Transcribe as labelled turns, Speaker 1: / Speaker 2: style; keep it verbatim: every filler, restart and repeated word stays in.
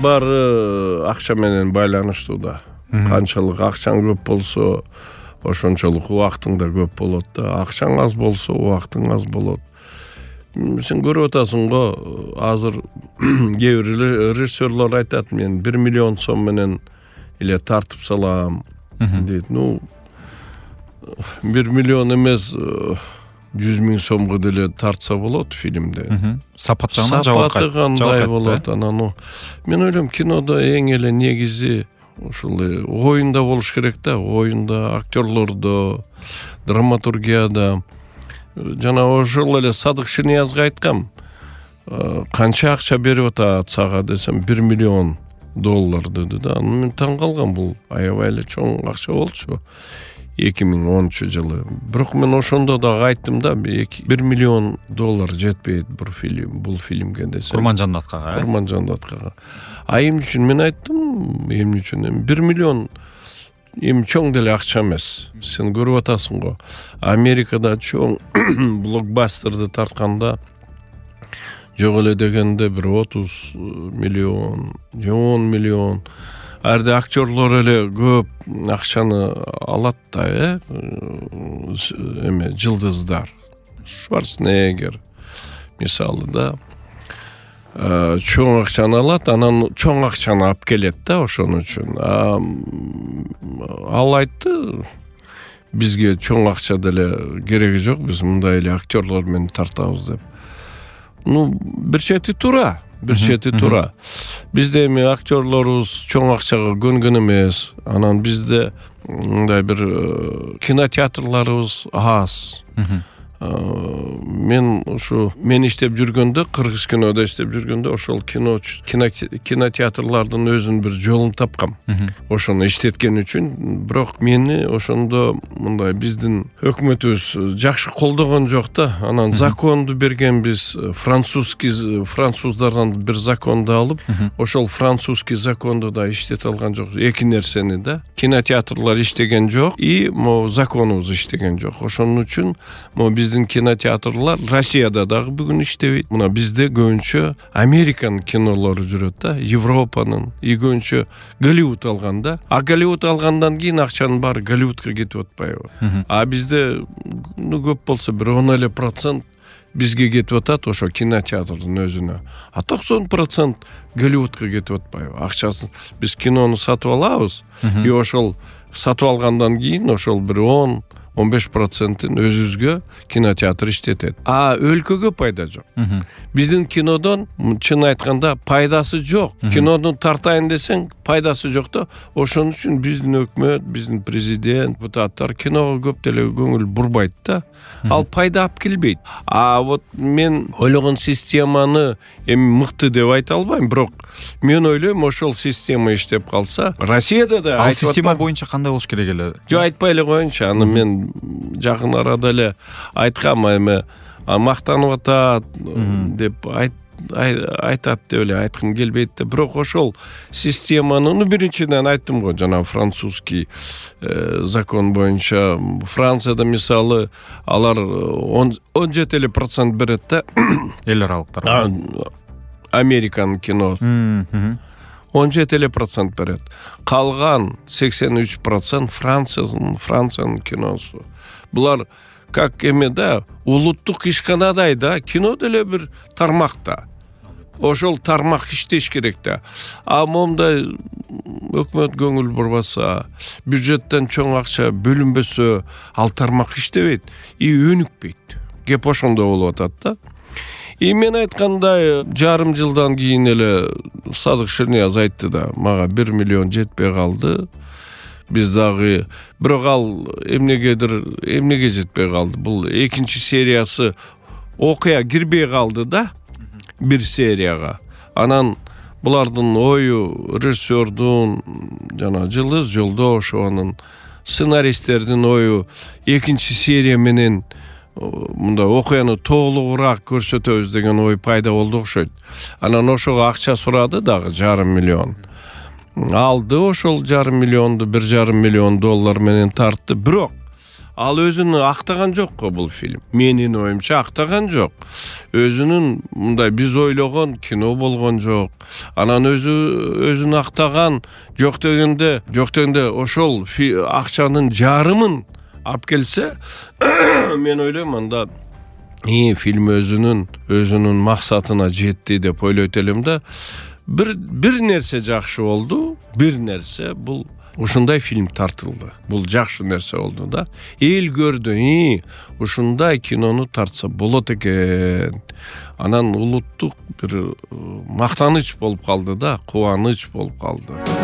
Speaker 1: баары акча менен байланыштуу да. Канчалык акчаң көп болсо, ошончолук убактың да көп болот да. Акчаң аз болсо, убактың аз болот. Сен көрүп атасың го, азыр кээ бир режиссерлор айтат, мен бир миллион сом менен эле тартып салам дейт. Ну, бир миллион эмес, жүз миң сомго деле тартса болот фильмде.
Speaker 2: Сапат жагынан
Speaker 1: сапаты кандай болот анан. Мен ойлойм, кинодо эң эле негизи ушул оюнда болуш керек да, оюнда, актерлордо, драматургияда. Жана ошол эле Садык Ширниязга айткам, канча акча берип атат сага десем, бир миллион доллар деди да. Мен таң калгам, бул аябай эле чоң акча болчу эки миң онунчу жылы. Бирок мен ошондо дагы айттым да, бир миллион доллар жетпейт бул фильм, бул фильмге десем.
Speaker 2: Курманжан Аткага.
Speaker 1: Курманжан Аткага. А эмне үчүн мен айттым, эмне үчүн? бир миллион эми чоң деле акча эмес. Сен көрүп атасың го. Америкада чоң блокбастерди тартканда жок эле дегенде бир отуз миллион, же он миллион. Арда актерлор эле көп акчаны алат да, э? Эме жылдыздар. Шварценеггер мисалы да. Чоң акчаны алат, анан чоң акчаны алып келет да, ошон үчүн. Ал айтты, бизге чоң акча деле кереги жок, биз мындай эле актерлор менен тартабыз деп. Ну, бир чети туура, бир чети туура. Бизде эми актерлорубуз чоң акчага көнгөн эмес. Анан бизде мындай бир кинотеатрларыбыз аз. Мен ушу мен иштеп жүргөндө, кыргыз кинодо иштеп жүргөндө, ошол кино кинотеатрлардын өзүнүн бир жолун тапкам. Ошону иштеткен үчүн, бирок мени ошондо мындай биздин өкмөтүбүз жакшы колдогон жок да. Анан законду берген биз, французский француздардан бир законду алып, ошол французский законду да иштете алган жок. Эки нерсени да. Кинотеатрлар иштеген жок, и мо законубуз иштеген жок. Ошон үчүн мо биз биздин кинотеатрлар Россияда дагы бүгүн иштебейт. Мына бизде көбүнчө Американ кинолору жүрөт да, Европанын, и көбүнчө Голливуд алганда. А Голливуд алгандан кийин акчанын баары Голливудка кетип атпайбы? А бизде ну көп болсо бир он эле процент бизге кетип атат, ошо кинотеатрдын өзүнө. А токсон процент Голливудка кетип атпайбы? Акчасын биз кинону сатып алабыз, и ошол сатып алгандан кийин ошол бир он он беш процентин өзүбүзгө кинотеатр иштетет. А өлкөгө пайда жок. Биздин кинодон чын айтканда пайдасы жок. Кинону тартайын десең пайдасы жок да. Ошон үчүн биздин өкмөт, биздин президент, депутаттар киного көп деле көңүл бурбайт да. Ал пайда алып келбейт. А вот мен ойлогон системаны эми мыкты деп айта албайм, бирок мен ойлойм, ошол система иштеп калса, Россияда да
Speaker 2: ал система боюнча кандай болуш керек эле?
Speaker 1: Жок, айтпай эле коеюнчу. Аны мен жакын арада эле айткам, эми мактанып атат деп айт айтат деп эле айткым келбейт да. Бирок ошол системаны, ну биринчиден айттым го, жана французский закон боюнча Францияда мисалы алар он жети эле процент берет да.
Speaker 2: Эл аралыктар.
Speaker 1: Американ кино он жети эле процент берет. Калган сексен үч процент Франциянын Франциянын киносу. Булар как эме да, улуттук ишканадай да, кино деле бир тармакта. Ошол тармак иштеш керек да. А момда өкмөт көңүл бурбаса, бюджеттен чоң акча бөлүнбөсө, ал тармак иштебейт, и өнүкпөйт. Кеп ошондо болуп атат да. И мен айткандай, жарым жылдан кийин эле Садык Ширнияз айтты да, мага бир миллион жетпей калды. Биз дагы, бирок ал эмнегедир, эмнеге жетпей калды. Бул экинчи сериясы окуя кирбей калды да, бир серияга. Анан булардын ою, режиссердун, жана Жылдыз Жолдошованын, сценаристтердин ою экинчи серия менен мында окуяны толугураак көрсөтөбүз деген ой пайда болду окшойт. Анан ошого акча сурады дагы жарым миллион. Алды ошол жарым миллионду, бир жарым миллион доллар менен тартты. Бирок ал өзүн актаган жок го бул фильм. Менин оюмча актаган жок. Өзүнүн мындай биз ойлогон кино болгон жок. Анан өзү өзүн актаган жок дегенде, жок дегенде ошол акчанын жарымын алып келсе, мен ойлойм анда и фильм өзүнүн өзүнүн максатына жетти деп ойлойт элем да. Бир бир нерсе жакшы болду. Бир нерсе бул ушундай фильм тартылды. Бул жакшы нерсе болду да. Эл көрдү, и ушундай кинону тартса болот экен. Анан улуттук бир мактаныч болуп калды да, кубаныч болуп калды.